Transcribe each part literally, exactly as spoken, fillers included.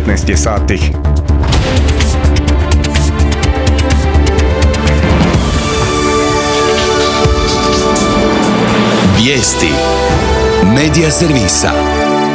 devetnaest je sati. Vijesti Medija servisa.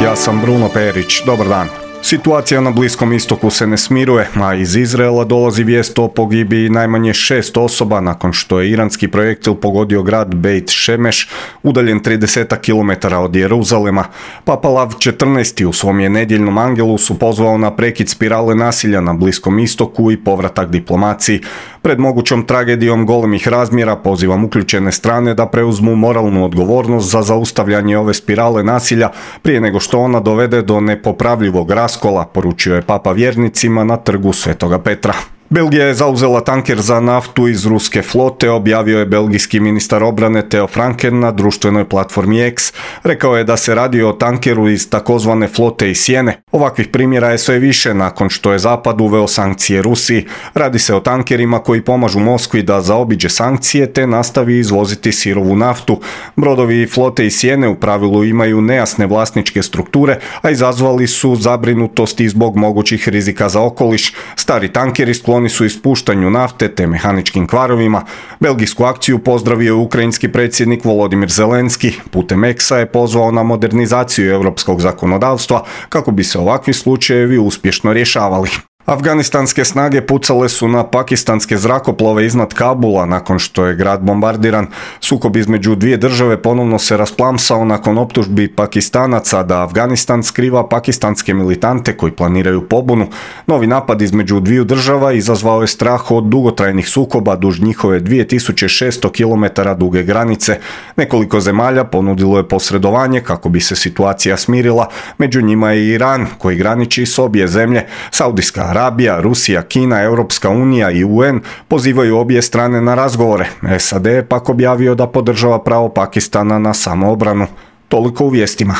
Ja sam Bruno Perić, dobar dan. Situacija na Bliskom istoku se ne smiruje, a iz Izraela dolazi vijest o pogibiji najmanje šest osoba nakon što je iranski projektil pogodio grad Beit Šemeš, udaljen trideset kilometara od Jeruzalema. Papa Lav četrnaesti u svom je nedjeljnom angelusu pozvao na prekid spirale nasilja na Bliskom istoku i povratak diplomaciji. Pred mogućom tragedijom golemih razmjera pozivam uključene strane da preuzmu moralnu odgovornost za zaustavljanje ove spirale nasilja prije nego što ona dovede do nepopravljivog raskola, poručio je Papa vjernicima na trgu Svetoga Petra. Belgija je zauzela tanker za naftu iz ruske flote, objavio je belgijski ministar obrane Theo Franken na društvenoj platformi X. Rekao je da se radi o tankeru iz takozvane flote iz sjene. Ovakvih primjera je sve više nakon što je Zapad uveo sankcije Rusiji. Radi se o tankerima koji pomažu Moskvi da zaobiđe sankcije te nastavi izvoziti sirovu naftu. Brodovi flote iz sjene u pravilu imaju nejasne vlasničke strukture, a izazvali su zabrinutost i zbog mogućih rizika za okoliš. Stari tankeri skloni su ispuštanju nafte te mehaničkim kvarovima. Belgijsku akciju pozdravio je ukrajinski predsjednik Volodimir Zelenski. Putem X-a je pozvao na modernizaciju europskog zakonodavstva kako bi se ovakvi slučajevi uspješno rješavali. Afganistanske snage pucale su na pakistanske zrakoplove iznad Kabula nakon što je grad bombardiran. Sukob između dvije države ponovno se rasplamsao nakon optužbi Pakistanaca da Afganistan skriva pakistanske militante koji planiraju pobunu. Novi napad između dviju država izazvao je strah od dugotrajnih sukoba duž njihove dvije tisuće šesto kilometara duge granice. Nekoliko zemalja ponudilo je posredovanje kako bi se situacija smirila. Među njima je i Iran koji graniči s obje zemlje. Saudijska Arabija, Rusija, Kina, Europska unija i U N pozivaju obje strane na razgovore. S A D je pak objavio da podržava pravo Pakistana na samoobranu. Toliko u vijestima.